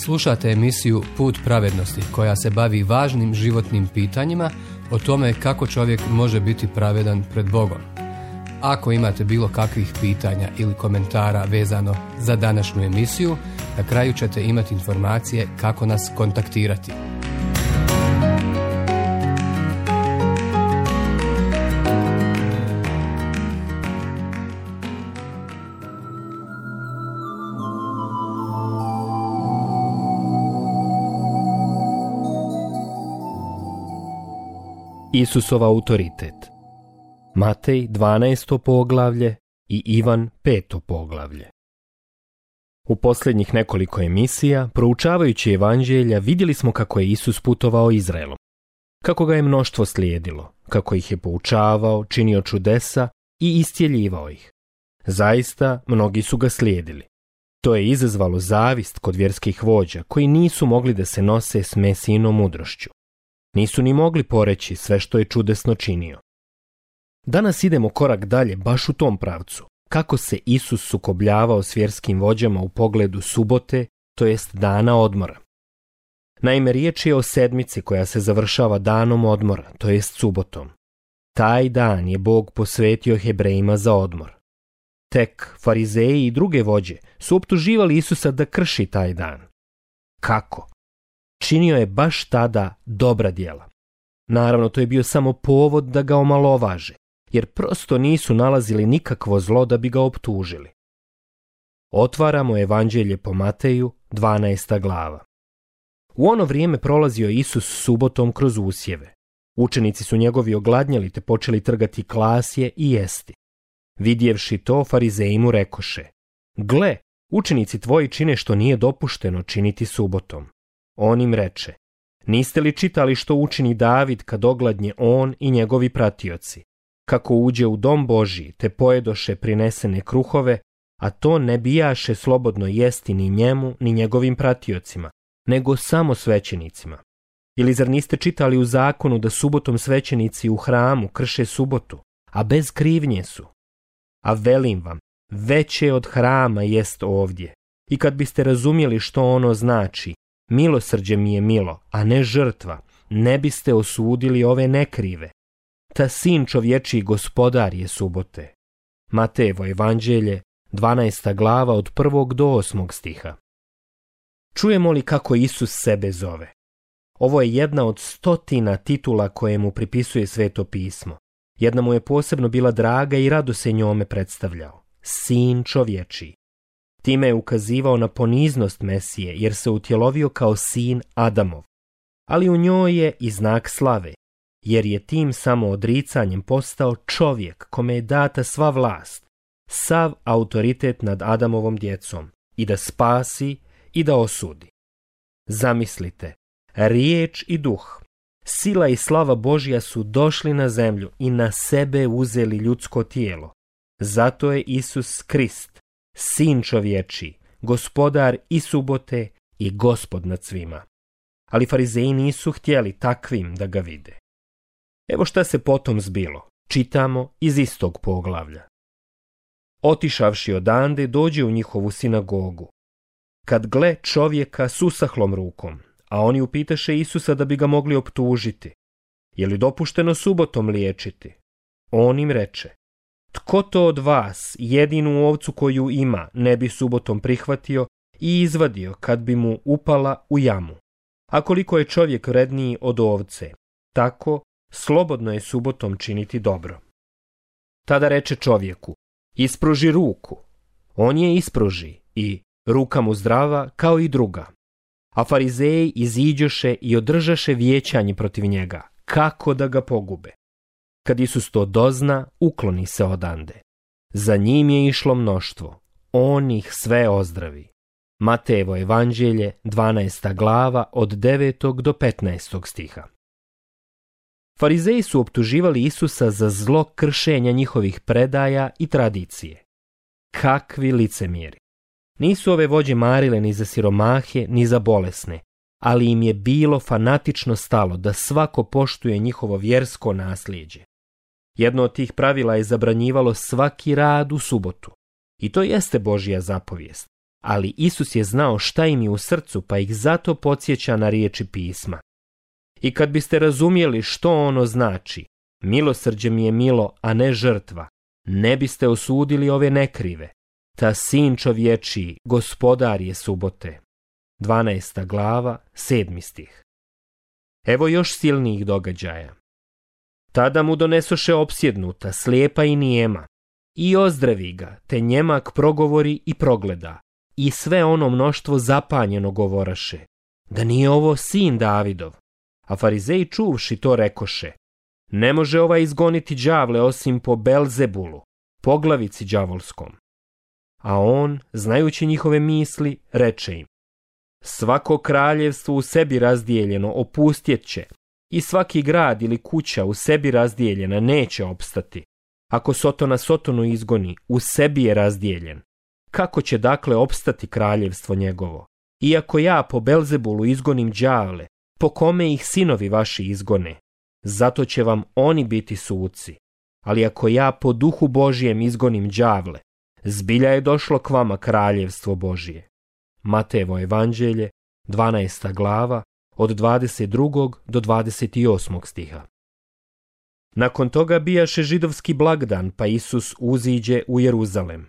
Slušate emisiju Put pravednosti koja se bavi važnim životnim pitanjima o tome kako čovjek može biti pravedan pred Bogom. Ako imate bilo kakvih pitanja ili komentara vezano za današnju emisiju, na kraju ćete imati informacije kako nas kontaktirati. Isusov autoritet. Matej 12. poglavlje i Ivan 5. poglavlje. U posljednjih nekoliko emisija, proučavajući evanđelja, vidjeli smo kako je Isus putovao Izraelom, kako ga je mnoštvo slijedilo, kako ih je poučavao, činio čudesa i iscijeljivao ih. Zaista, mnogi su ga slijedili. To je izazvalo zavist kod vjerskih vođa, koji nisu mogli da se nose s Mesijinom mudrošću. Nisu ni mogli poreći sve što je čudesno činio. Danas idemo korak dalje baš u tom pravcu, kako se Isus sukobljavao s vjerskim vođama u pogledu subote, to jest dana odmora. Naime, riječ je o sedmici koja se završava danom odmora, to jest subotom. Taj dan je Bog posvetio Hebrejima za odmor. Tek farizeji i druge vođe su optuživali Isusa da krši taj dan. Kako? Činio je baš tada dobra djela. Naravno, to je bio samo povod da ga omalovaže, jer prosto nisu nalazili nikakvo zlo da bi ga optužili. Otvaramo evanđelje po Mateju, 12. glava. U ono vrijeme prolazio Isus subotom kroz usjeve. Učenici su njegovi ogladnjali te počeli trgati klasje i jesti. Vidjevši to, farizeji mu rekoše: Gle, učenici tvoji čine što nije dopušteno činiti subotom. On im reče: Niste li čitali što učini David kad ogladnje on i njegovi pratioci, kako uđe u dom Božji te pojedoše prinesene kruhove, a to ne bijaše slobodno jesti ni njemu ni njegovim pratiocima, nego samo svećenicima? Ili zar niste čitali u zakonu da subotom svećenici u hramu krše subotu, a bez krivnje su? A velim vam, veće od hrama jest ovdje. I kad biste razumjeli što ono znači, milosrđe mi je milo, a ne žrtva, ne biste osudili ove nekrive. Ta sin čovječiji gospodar je subote. Matejevo evanđelje, 12. glava od 1. do 8. stiha. Čujemo li kako Isus sebe zove? Ovo je jedna od 100 titula koje mu pripisuje Sveto pismo. Jedna mu je posebno bila draga i rado se njome predstavljao. Sin čovječiji. Time je ukazivao na poniznost Mesije, jer se utjelovio kao sin Adamov. Ali u njoj je i znak slave, jer je tim samoodricanjem postao čovjek kome je data sva vlast, sav autoritet nad Adamovom djecom, i da spasi i da osudi. Zamislite, riječ i duh, sila i slava Božja su došli na zemlju i na sebe uzeli ljudsko tijelo. Zato je Isus Krist, sin čovječiji, gospodar i subote i gospod nad svima. Ali farizeji nisu htjeli takvim da ga vide. Evo šta se potom zbilo. Čitamo iz istog poglavlja. Otišavši odande, dođe u njihovu sinagogu. Kad gle čovjeka s usahlom rukom, a oni upitaše Isusa da bi ga mogli optužiti: Je li dopušteno subotom liječiti? On im reče: Tko to od vas jedinu ovcu koju ima ne bi subotom prihvatio i izvadio kad bi mu upala u jamu? A koliko je čovjek vredniji od ovce, tako slobodno je subotom činiti dobro. Tada reče čovjeku: Ispruži ruku. On je ispruži i ruka mu zdrava kao i druga. A farizeji iziđoše i održaše vijećanje protiv njega, kako da ga pogube. Kad Isus to dozna, ukloni se odande. Za njim je išlo mnoštvo, on ih sve ozdravi. Matejevo evanđelje, 12. glava od 9. do 15. stiha. Farizeji su optuživali Isusa za zlo kršenja njihovih predaja i tradicije. Kakvi licemjeri! Nisu ove vođe marile ni za siromahe, ni za bolesne, ali im je bilo fanatično stalo da svako poštuje njihovo vjersko nasljeđe. Jedno od tih pravila je zabranjivalo svaki rad u subotu. I to jeste Božja zapovijest. ali Isus je znao šta im je u srcu, pa ih zato podsjeća na riječi pisma. I kad biste razumjeli što ono znači, milosrđe mi je milo, a ne žrtva, ne biste osudili ove nekrive. Ta sin čovječiji, gospodar je subote. 12. glava, 7. stih. Evo još silnijih događaja. Tada mu donesoše opsjednuta, slijepa i nijema, i ozdravi ga, te njemak progovori i progleda, i sve ono mnoštvo zapanjeno govoraše, da nije ovo sin Davidov. A farizeji čuvši to rekoše, ne može ovaj izgoniti đavle osim po Belzebulu, poglavici đavolskom. A on, znajući njihove misli, reče im, svako kraljevstvo u sebi razdijeljeno opustjet će, i svaki grad ili kuća u sebi razdijeljena neće opstati. Ako Sotona Sotonu izgoni, u sebi je razdijeljen. Kako će dakle opstati kraljevstvo njegovo? Iako ja po Belzebulu izgonim đavle, po kome ih sinovi vaši izgone? Zato će vam oni biti suci. Ali ako ja po duhu Božijem izgonim đavle, zbilja je došlo k vama kraljevstvo Božije. Matejevo evanđelje, 12. glava, od 22. do 28. stiha. Nakon toga bijaše židovski blagdan, pa Isus uziđe u Jeruzalem.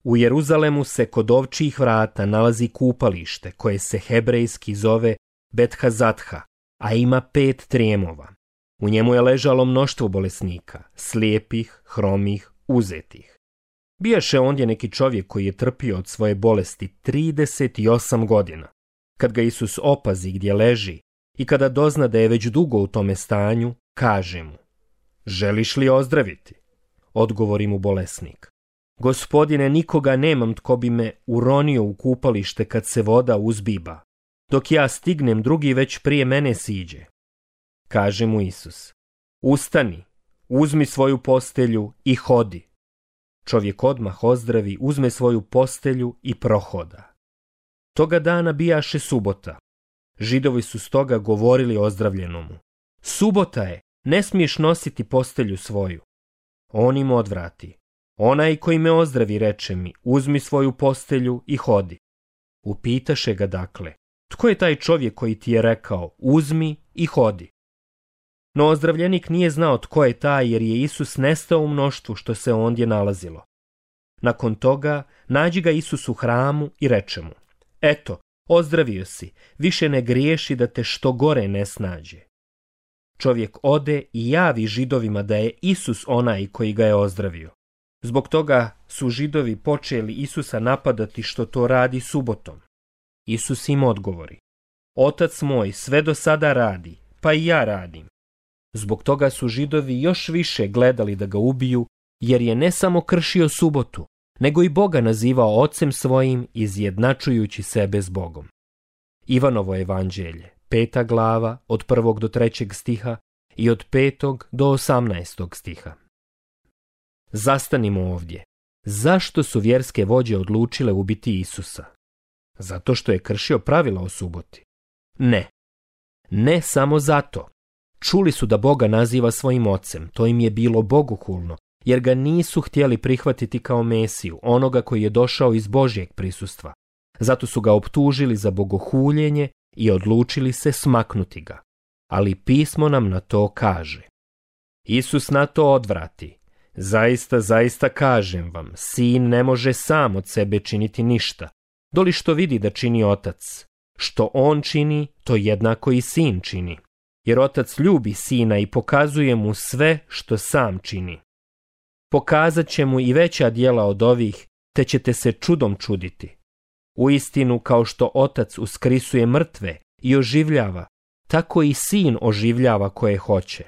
U Jeruzalemu se kod ovčjih vrata nalazi kupalište, koje se hebrejski zove Bethazatha, a ima 5 trijemova. U njemu je ležalo mnoštvo bolesnika, slijepih, hromih, uzetih. Bijaše ondje neki čovjek koji je trpio od svoje bolesti 38 godina. Kad ga Isus opazi gdje leži i kada dozna da je već dugo u tome stanju, kaže mu, želiš li ozdraviti? Odgovori mu bolesnik, Gospodine, nikoga nemam tko bi me uronio u kupalište kad se voda uzbiba. Dok ja stignem, drugi već prije mene siđe. Kaže mu Isus, ustani, uzmi svoju postelju i hodi. Čovjek odmah ozdravi, uzme svoju postelju i prohoda. Toga dana bijaše subota. Židovi su stoga govorili ozdravljenomu, subota je, ne smiješ nositi postelju svoju. On im odvrati, onaj koji me ozdravi reče mi, uzmi svoju postelju i hodi. Upitaše ga dakle, tko je taj čovjek koji ti je rekao, uzmi i hodi? No ozdravljenik nije znao tko je taj, jer je Isus nestao u mnoštvu što se ondje nalazilo. Nakon toga nađi ga Isus u hramu i reče mu, eto, ozdravio si, više ne griješi da te što gore ne snađe. Čovjek ode i javi Židovima da je Isus onaj koji ga je ozdravio. Zbog toga su Židovi počeli Isusa napadati što to radi subotom. Isus im odgovori, Otac moj sve do sada radi, pa i ja radim. Zbog toga su Židovi još više gledali da ga ubiju, jer je ne samo kršio subotu, nego i Boga nazivao ocem svojim, izjednačujući sebe s Bogom. Ivanovo evanđelje, 5. glava, od 1. do 3. stiha i od 5. do 18. stiha. Zastanimo ovdje. Zašto su vjerske vođe odlučile ubiti Isusa? Zato što je kršio pravila o suboti? Ne. Ne samo zato. Čuli su da Boga naziva svojim ocem, to im je bilo bogohulno, jer ga nisu htjeli prihvatiti kao Mesiju, onoga koji je došao iz Božjeg prisustva. Zato su ga optužili za bogohuljenje i odlučili se smaknuti ga. Ali pismo nam na to kaže. Isus na to odvrati. Zaista, zaista kažem vam, sin ne može sam od sebe činiti ništa, doli što vidi da čini otac. Što on čini, to jednako i sin čini. Jer otac ljubi sina i pokazuje mu sve što sam čini. Pokazat će mu i veća djela od ovih, te ćete se čudom čuditi. Uistinu, kao što otac uskrisuje mrtve i oživljava, tako i sin oživljava koje hoće.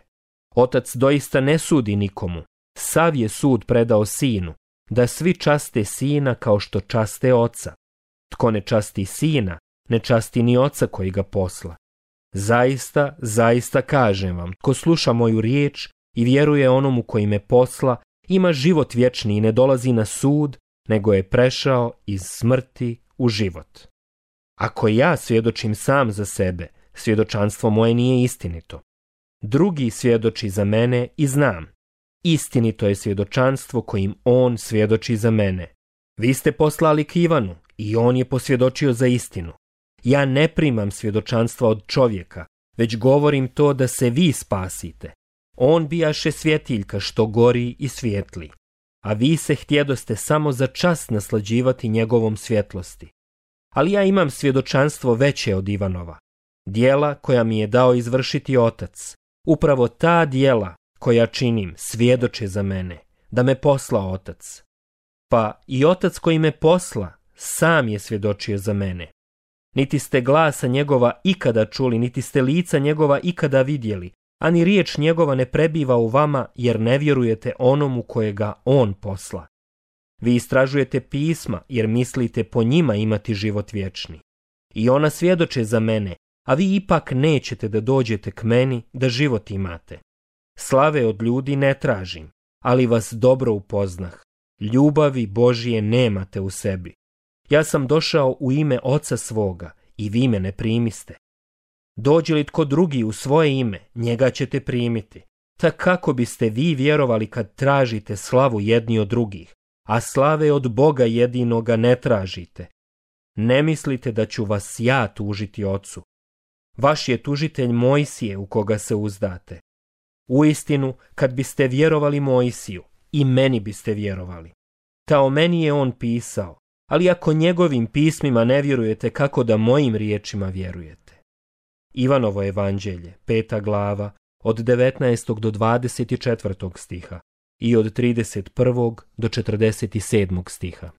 Otac doista ne sudi nikomu, sav je sud predao sinu, da svi časte sina kao što časte oca. Tko ne časti sina, ne časti ni oca koji ga posla. Zaista, zaista kažem vam, tko sluša moju riječ i vjeruje onomu koji me posla, ima život vječni i ne dolazi na sud, nego je prešao iz smrti u život. Ako ja svjedočim sam za sebe, svjedočanstvo moje nije istinito. Drugi svjedoči za mene i znam. Istinito je svjedočanstvo kojim on svjedoči za mene. Vi ste poslali k Ivanu, i on je posvjedočio za istinu. Ja ne primam svjedočanstva od čovjeka, već govorim to da se vi spasite. On bijaše svjetiljka što gori i svijetli, a vi se htjedoste samo za čas naslađivati njegovom svjetlosti. Ali ja imam svjedočanstvo veće od Ivanova, djela koja mi je dao izvršiti Otac. Upravo ta djela koja činim svjedoče za mene, da me poslao Otac. Pa i Otac koji me posla sam je svjedočio za mene. Niti ste glasa njegova ikada čuli, niti ste lica njegova ikada vidjeli, a ni riječ njegova ne prebiva u vama, jer ne vjerujete onomu kojega on posla. Vi istražujete pisma, jer mislite po njima imati život vječni. I ona svjedoče za mene, a vi ipak nećete da dođete k meni da život imate. Slave od ljudi ne tražim, ali vas dobro upoznah. Ljubavi Božije nemate u sebi. Ja sam došao u ime Oca svoga i vi me ne primiste. Dođe li tko drugi u svoje ime, njega ćete primiti. Tak kako biste vi vjerovali kad tražite slavu jedni od drugih, a slave od Boga jedinoga ne tražite? Ne mislite da ću vas ja tužiti Ocu. Vaš je tužitelj Mojsije u koga se uzdate. Uistinu, kad biste vjerovali Mojsiju, i meni biste vjerovali. Ta o meni je on pisao, ali ako njegovim pismima ne vjerujete, kako da mojim riječima vjerujete? Ivanovo evanđelje, 5. glava, od 19. do 24. stiha i od 31. do 47. stiha.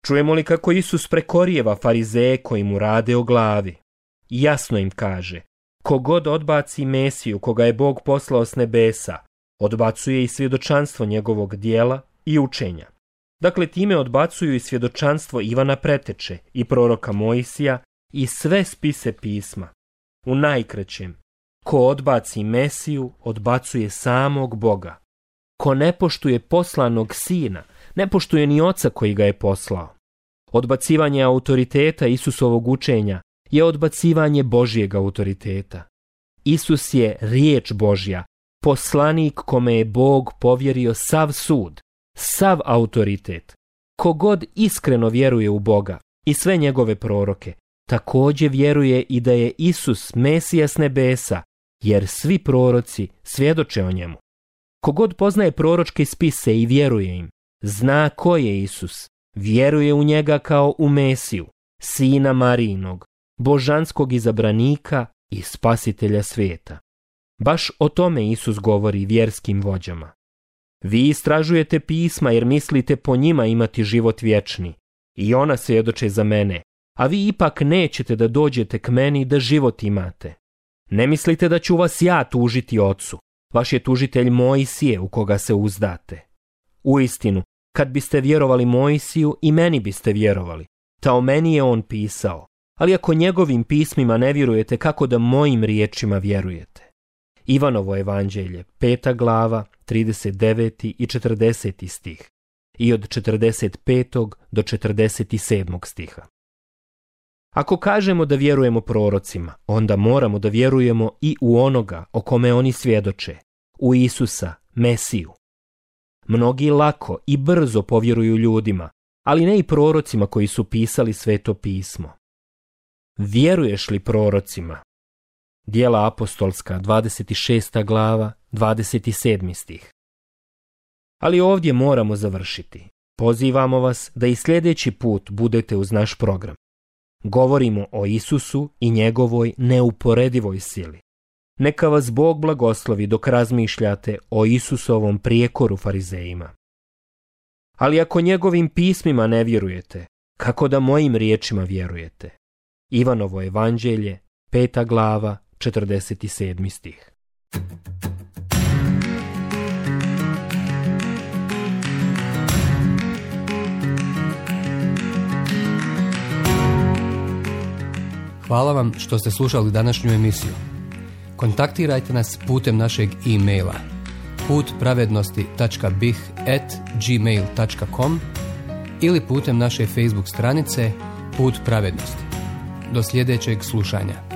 Čujemo li kako Isus prekorijeva farizeje koji mu rade o glavi? Jasno im kaže, kogod odbaci Mesiju koga je Bog poslao s nebesa, odbacuje i svjedočanstvo njegovog djela i učenja. Dakle, time odbacuju i svjedočanstvo Ivana Preteče i proroka Mojsija i sve spise pisma. U najkraćem, ko odbaci Mesiju, odbacuje samog Boga. Ko ne poštuje poslanog Sina, ne poštuje ni Oca koji ga je poslao. Odbacivanje autoriteta Isusovog učenja je odbacivanje Božjeg autoriteta. Isus je riječ Božja, poslanik kome je Bog povjerio sav sud, sav autoritet. Kogod iskreno vjeruje u Boga i sve njegove proroke, također vjeruje i da je Isus Mesija s nebesa, jer svi proroci svjedoče o njemu. Kogod poznaje proročke spise i vjeruje im, zna ko je Isus, vjeruje u njega kao u Mesiju, sina Marijinog, božanskog izabranika i spasitelja svijeta. Baš o tome Isus govori vjerskim vođama. Vi istražujete pisma jer mislite po njima imati život vječni, i ona svjedoče za mene, a vi ipak nećete da dođete k meni da život imate. Ne mislite da ću vas ja tužiti Ocu, vaš je tužitelj Mojsije u koga se uzdate. Uistinu, kad biste vjerovali Mojsiju, i meni biste vjerovali. Ta o meni je on pisao, ali ako njegovim pismima ne vjerujete, kako da mojim riječima vjerujete? Ivanovo evanđelje, 5. glava, 39. i 40. stih i od 45. do 47. stiha. Ako kažemo da vjerujemo prorocima, onda moramo da vjerujemo i u onoga o kome oni svjedoče, u Isusa, Mesiju. Mnogi lako i brzo povjeruju ljudima, ali ne i prorocima koji su pisali Sveto pismo. Vjeruješ li prorocima? Djela apostolska, 26. glava, 27. stih. Ali ovdje moramo završiti. Pozivamo vas da i sljedeći put budete uz naš program. Govorimo o Isusu i njegovoj neuporedivoj sili. Neka vas Bog blagoslovi dok razmišljate o Isusovom prijekoru farizejima. Ali ako njegovim pismima ne vjerujete, kako da mojim riječima vjerujete? Ivanovo evanđelje, 5. glava, 47. stih. Hvala vam što ste slušali današnju emisiju. Kontaktirajte nas putem našeg e-maila putpravednosti.bih@gmail.com ili putem naše Facebook stranice Put pravednosti. Do sljedećeg slušanja.